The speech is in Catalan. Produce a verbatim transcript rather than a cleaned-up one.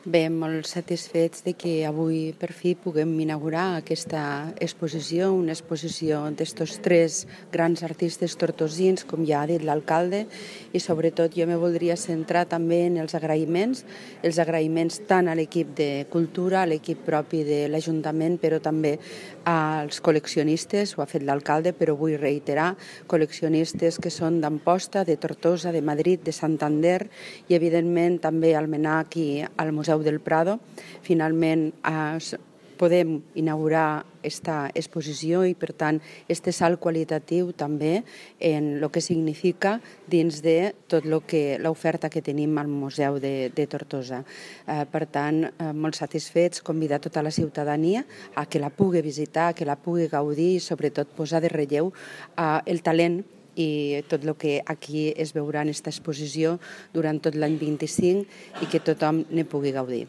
Bé, molt satisfets de que avui per fi puguem inaugurar aquesta exposició, una exposició d'estos tres grans artistes tortosins, com ja ha dit l'alcalde, i sobretot jo me voldria centrar també en els agraïments, els agraïments tant a l'equip de cultura, a l'equip propi de l'Ajuntament, però també als col·leccionistes, ho ha fet l'alcalde, però vull reiterar, col·leccionistes que són d'Amposta, de Tortosa, de Madrid, de Santander i evidentment també al MNAC i al Museu del Prado. Finalment eh, podem inaugurar aquesta exposició i, per tant, este salt qualitatiu també en el que significa dins de tot lo que l'oferta que tenim al Museu de, de Tortosa. Eh, per tant, eh, molt satisfets, convidar tota la ciutadania a que la pugui visitar, que la pugui gaudir i, sobretot, posar de relleu eh, el talent i tot el que aquí es veurà en aquesta exposició durant tot l'any vint-i-cinc i que tothom ne pugui gaudir.